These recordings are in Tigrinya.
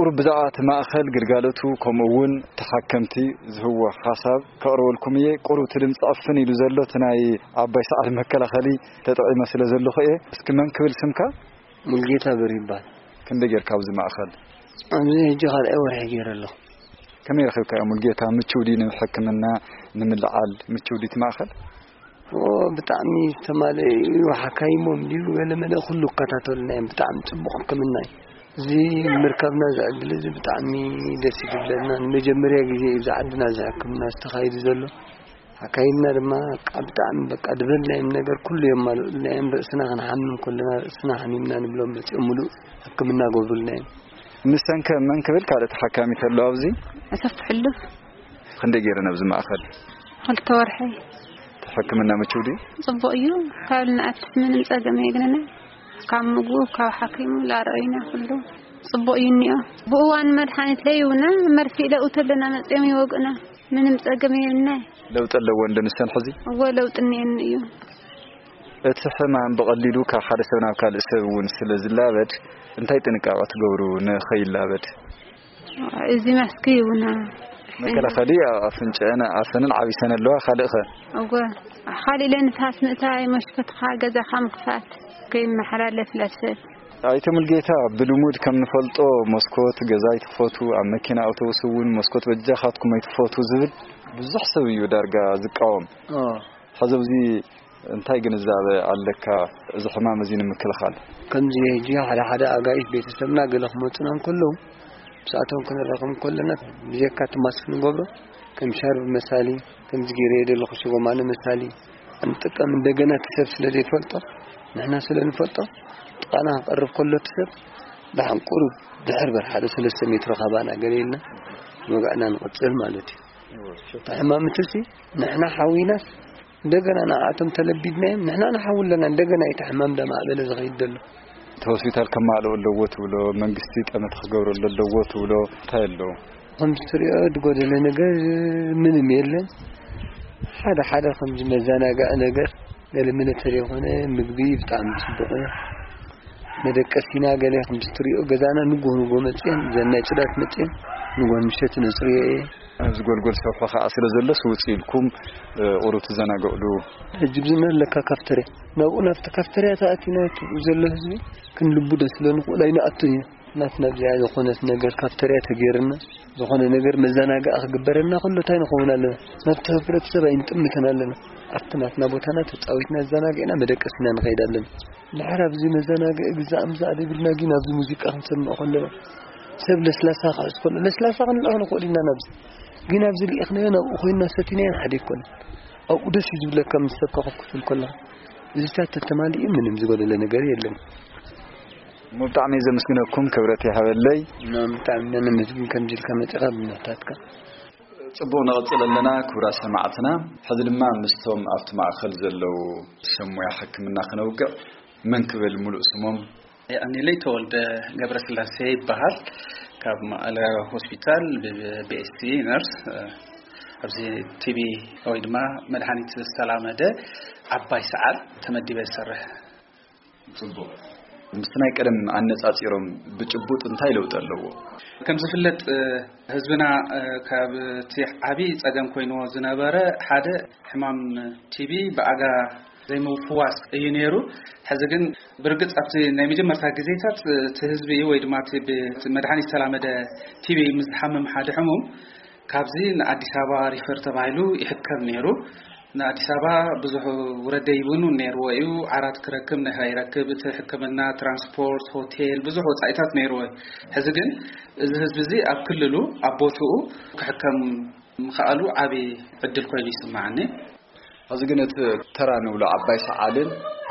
ቁሩብ ብዛዕባ እቲ ማእኸል፣ ግልጋሎቱ፣ ከምኡ እውን ተሓከምቲ ዝህዎ ሓሳብ ከቕርበልኩም እየ። ቁሩብ እቲ ድምፂ ዕፍን ኢሉ ዘሎ እቲ ናይ ዓባይ ሰዓል መከላኸሊ ተጠቒመ ስለ ዘለኹ እየ። እስኪ መን ክብል ስምካ? ሙልጌታ በሪ ይበሃል። ክንደይ ጌርካ ኣብዚ ማእኸል? ኣብዚ ሕጂ ካልኣይ ወርሒ ገይረ ኣለኹ። ከመይ ረኺብካዮ ሙልጌታ? ምቹው ድዩ ንሕክምና ንምልዓል? ምቹው ድዩ እቲ ማእኸል? ኦ፣ ብጣዕሚ ዝተማልአ እዩ። ሓካይሞም ድዩ ገለ መለ ኩሉ ይከታተሉና እዮም። ብጣዕሚ ጽቡቕ ሕክምና እዩ። እዚ ምርካብና እዚ ዕድል እዚ ብጣዕሚ ደስ እዩ ዝብለና። ንመጀመርያ ግዜ እዩ እዚ ዓድና እዚ ሕክምና ዝተኻይዱ ዘሎ። ሓካይምና ድማ በቃ ብጣዕሚ በቃ ድበልናዮም ነገር ኩሉ የማልኡልና እዮም። ርእስና ክንሓምም ከለና ርእስና ሓሚምና ንብሎም መጺኦም ሙሉእ ሕክምና ገብሩልና እዮም። ንሰንከ መን ክብል ካልእ ተሓካሚ ተሎ ኣብዚ? ኣሰፍ ሕሉፍ። ክንደይ ገይረን ኣብዚ ማእኸል? ክልተ ወርሒ። እቲ ሕክምና ምቹው ድዩ? ጽቡቕ እዩ። ካብ ንኣትስ ምንም ጸገም የግንና። ካብ ምግቡ፣ ካብ ሓኪሙ ላረኣዩና ኩሉ ጽቡቕ እዩ እኒኦ። ብእዋን መድሓኒት ለይውና መርፊእ ለእውተለና መጺኦም ይወግኡና። ምንም ጸገም የብልናይ። ለውጢ ኣለዎ እንዶ ንሰን ሕዚ? እወ፣ ለውጢ እኒኤኒ እዩ። እቲ ሕማም ብቐሊሉ ካብ ሓደ ሰብ ናብ ካልእ ሰብ እውን ስለ ዝላበድ፣ እንታይ ጥንቃቐ ትገብሩ ንኸይላበድ? እዚ ማስክ ይውና። መከላኸሊ ኣፍንጫን ኣፈንን ዓቢሰን ኣለዋ። ካልእኸ? እወ፣ ካልእ ኢለ ንፋስ ምእታይ፣ መሽኮትኻ ገዛኻ ምኽፋት፣ ከይመሓላለፍ ለሰብ። ኣይተ ሙልጌታ፣ ብልሙድ ከም ንፈልጦ መስኮት ገዛ ኣይትኽፈቱ፣ ኣብ መኪና ኣውቶቡስ እውን መስኮት በጃኻትኩም ኣይትኽፈቱ ዝብል ብዙሕ ሰብ እዩ ዳርጋ ዝቃወም። ኦ። ሕዚ ኣብዚ እንታይ ግንዛበ ኣለካ? እዚ ሕማም እዚ ንምክልኻል። ከምዚ ሕጂ ሓደ ሓደ ኣጋይሽ ቤተሰብና ገለ ክመጹና እንከለዉ፣ ምስኣቶም ክንራኸብ እንከለና፣ ብጀካ እቲ ማስክ ንገብሮ፣ ከም ሻርብ መሳሊ፣ ከምዚ ገይረ የደለኹ ሽጎማነ መሳሊ፣ እንጥቀም። እንደገና እቲ ሰብ ስለ ዘይፈልጦ፣ ንሕና ስለ ንፈልጦ፣ ጥቓና ክቐርብ ከሎ እቲ ሰብ፣ ደሓን ቁሩብ ድሕር በር ሓደ ሰለስተ ሜትሮ ካባና ገለ ኢልና፣ ወግዕና ንቕጽል ማለት እዩ። እቲ ሕማም እቲ ሲ፣ ንሕና ሓዊናስ፣ እንደገና ንኣቶም ተለቢድናዮም፣ ንሕና ንሓዊ ኣለና፣ እንደገና እቲ ሕማም ደማዕበለ ዝኸይድ ዘሎ። እቲ ሆስፒታል ከማልኦ ኣለዎ ትብሎ፣ መንግስቲ ጠመተ ክገብረሉ ኣለዎ ትብሎ፣ እንታይ ኣለዎ? ከምዚ ትሪኦ ዝጎደለ ነገር ምንም የለን። ሓደ ሓደ ከምዚ መዘናግዒ ነገር፣ ገለ ሚሊተሪ የኾነ ምግቢ ብጣዕሚ ጽቡቕ እዩ። መደቀሲና ገለ ከምዚ ትሪኦ ገዛና ንጎ ንጎ መጽየን፣ ዘን ናይ ጽዳት መጽየን ንጎ ምሸት ነጽርዮ እየ። ኣብዚ ጎልጎል ሰፍሖ ኸዓ ስለ ዘሎስ ውጽእ ኢልኩም፣ እ፣ ቁሩብ ትዘናግዕሉ። ሕጂ ብዝነ ኣለካ ካፍተርያ። ናብኡ ናብቲ ካፍተርያ ተኣቲና እቲ ዘሎ ህዝቢ ክንልቡ ዶ ስለ ንኽእል ኣይንኣቱን ኢና። ናትና ኣብዚኣ ዝኾነት ነገር ካፍተርያ ተገይርና፣ ዝኾነ ነገር መዘናግዒ ክግበረልና ከሎ እንታይ ንኸውን ኣለና? ናብቲ ሕብረተሰብ ኣይንጥምትን ኣለና። ኣብቲ ናትና ቦታና ተጻዊትና ኣዘናጊዕና መደቀሲና ንኸይድ ኣለና። ድሓር ኣብዚ መዘናግዒ ግዛእ ምዛእ ደቢልና ግን ኣብዚ ሙዚቃ ክንሰምዕ ከለና ሰብ ለስላሳ ክሕዝ ከሎ ለስላሳ ክንልእኽ ንኽእል ኢና ናብዚ። ግን ኣብዚ ልኢኽናዮ ናብኡ ኮይንና ሰቲናዮ ሓደ ኣይኮነን። ኣብኡ ደስ እዩ ዝብለካ ምስ ሰብ ኮፍ ክትብል ከለኻ። እዚታት ተተማሊኡ ምንም ዝጎደለ ነገር የለን። እሞ ብጣዕሚ እየ ዘመስግነኩም፣ ክብረት ይሃበለይ። እና ብጣዕሚ ኢና ነመስግን ከምዚ ኢልካ መጺኻ ብምሕታትካ። ጽቡቕ፣ ንቐጽል ኣለና። ክቡራ ሰማዕትና፣ ሕዚ ድማ ምስቶም ኣብቲ ማእከል ዘለዉ ሰብ ሞያ ሕክምና ክነውግዕ። መን ክብል ሙሉእ ስሞም? የቐንየለይ፣ ተወልደ ገብረስላሴ ይበሃል። ካብ መቐለ ሆስፒታል ብ-፣ ብ-፣ ቢ ኤስ ሲ ነርስ፣ እ፣ ኣብዚ ቲ ቢ ወይ ድማ መድሃኒት ዝተላመደ ዓባይ ሰዓል ተመዲበ ዝሰርሕ። ጽቡቕ። ምስቲ ናይ ቀደም ኣነጻጺሮም ብጭቡጥ እንታይ ለውጢ ኣለዎ? ከም ዝፍለጥ፣ እ፣ ህዝብና፣ እ፣ ካብ እቲ ዓቢ ጸገም ኮይንዎ ዝነበረ ሓደ ሕማም ቲ ቢ ብኣጋ ዘይምፍዋስ እዩ ነይሩ። ሕዚ ግን ብርግጽ ኣብቲ ናይ መጀመርታ ግዜታት እቲ ህዝቢ ወይ ድማ እቲ ብ-፣ እቲ መድሃኒት ዝተላመደ ቲ ቢ ምስ ዝሓምም ሓደ ሕሙም ካብዚ ንኣዲስ ኣበባ ሪፈር ተባሂሉ ይሕከም ነይሩ። ንኣዲስ ኣበባ ብዙሕ ውረድ ደይብን እውን ነይርዎ እዩ። ዓራት ክረክብ፣ ንኸይረክብ፣ እቲ ሕክምና፣ ትራንስፖርት፣ ሆቴል፣ ብዙሕ ወጻኢታት ነይርዎ እዩ። ሕዚ ግን እዚ ህዝቢ እዚ ኣብ ክልሉ፣ ኣብ ቦትኡ ክሕከም ምኽኣሉ ዓቢ ዕድል ኮይኑ ይስምዓኒ። ሕዚ ግን እቲ ተራ ንብሎ ዓባይ ሰዓልን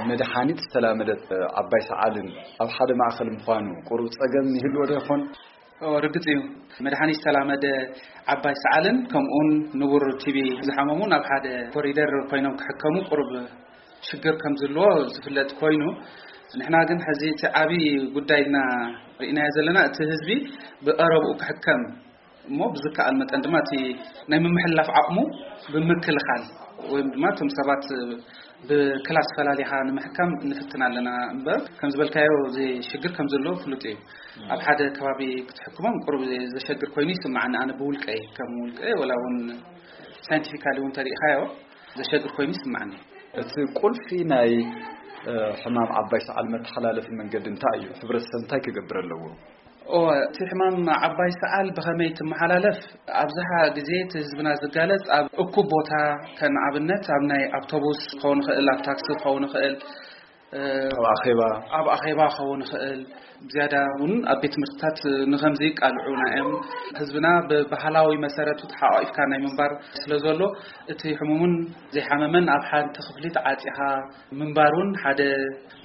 መድሓኒት ዝተላመደት ዓባይ ሰዓልን ኣብ ሓደ ማእከል ምዃኑ ቁሩብ ጸገም ይህልዎ ዶ ይኾን? ኦ፣ ርግጽ እዩ። መድሓኒት ዝተላመደ ዓባይ ሰዓልን ከምኡውን ንቡር ቲ ቢ ዝሓመሙ ናብ ሓደ ኮሪደር ኮይኖም ክሕከሙ ቁሩብ ሽግር ከም ዝህልዎ ዝፍለጥ ኮይኑ፣ ንሕና ግን ሕዚ እቲ ዓቢ ጉዳይ ኢልና ርኢናዮ ዘለና እቲ ህዝቢ ብቐረብኡ ክሕከም እሞ ብዝከኣል መጠን ድማ እቲ ናይ ምምሕልላፍ ዓቕሙ ብምክልኻል ወይም ድማ እቶም ሰባት ብክላስ ፈላሊኻ ንምሕካም ንፍትን ኣለና እምበር፣ ከም ዝበልካዮ እዚ ሽግር ከም ዘሎ ፍሉጥ እዩ። ኣብ ሓደ ከባቢ ክትሕክሞም ቁሩብ ዘሸግር ኮይኑ ይስምዓኒ። ኣነ ብውልቀይ፣ ከም ውልቀይ፣ ወላ እውን ሳይንቲፊካሊ እውን ተሪኢኻዮ፣ ዘሸግር ኮይኑ ይስምዓኒ። እቲ ቁልፊ ናይ ሕማም ዓባይ ሰዓል መተሓላለፊ መንገዲ እንታይ እዩ? ሕብረተሰብ እንታይ ክገብር ኣለዎ? እወ፣ እቲ ሕማም ዓባይ ሰዓል ብኸመይ ትመሓላለፍ? ኣብዝሓ ግዜ እቲ ህዝብና ዝጋለጽ ኣብ እኩብ ቦታ፣ ከም ኣብነት ኣብ ናይ ኣውቶቡስ ክኸውን ይኽእል፣ ኣብ ታክሲ ክኸውን ይኽእል፣ ኣብ ኣኼባ ኣብ ኣኼባ ክኸውን ይኽእል። ብዝያዳ እውን ኣብ ቤት ትምህርትታት ንኸምዚ ይቃልዑና እዮም። ህዝብና ብባህላዊ መሰረቱ ተሓቋቂፍካ ናይ ምንባር ስለ ዘሎ፣ እቲ ሕሙምን ዘይሓመመን ኣብ ሓንቲ ክፍሊ ተዓጺኻ ምንባር እውን ሓደ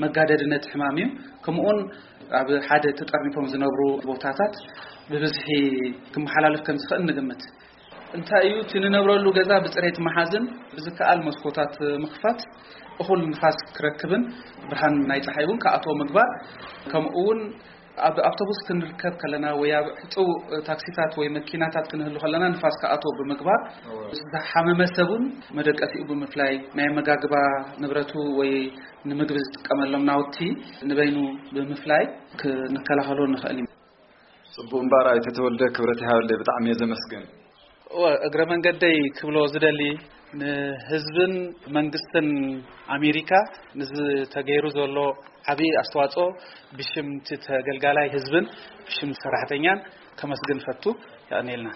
መጋደዲ ነቲ ሕማም እዩ። ከምኡውን ኣብ ሓደ ተጠርኒፎም ዝነብሩ ቦታታት ብብዝሒ ክመሓላለፍ ከም ዝኽእል ንግምት። እንታይ እዩ እቲ ንነብረሉ ገዛ ብፅሬት መሓዝን ብዝከኣል መስኮታት ምኽፋት፣ እኹል ንፋስ ክረክብን ብርሃን ናይ ፀሓይ እውን ክኣትዎ ምግባር፣ ከምኡ እውን ኣብ ኣውቶቡስ ክንርከብ ከለና ወይ ኣብ ሕፁው ታክሲታት ወይ መኪናታት ክንህሉ ከለና ንፋስ ክኣትዎ ብምግባር፣ ዝሓመመ ሰብ እውን መደቀሲኡ ብምፍላይ፣ ናይ ኣመጋግባ ንብረቱ ወይ ንምግቢ ዝጥቀመሎም ናውቲ ንበይኑ ብምፍላይ ክንከላኸሎ ንኽእል ኢና። ጽቡቕ እምበኣር ኣይተ ተወልደ፣ ክብረት ይሃበለይ፣ ብጣዕሚ እየ ዘመስግን። እወ፣ እግረ መንገደይ ክብሎ ዝደሊ፣ ንህዝብን መንግስትን ኣሜሪካ ንዝተገይሩ ዘሎ ዓብዪ ኣስተዋጽኦ ብሽም እቲ ተገልጋላይ ህዝብን ብሽም ሰራሕተኛን ከመስግን ፈቱ። የቐንየልና።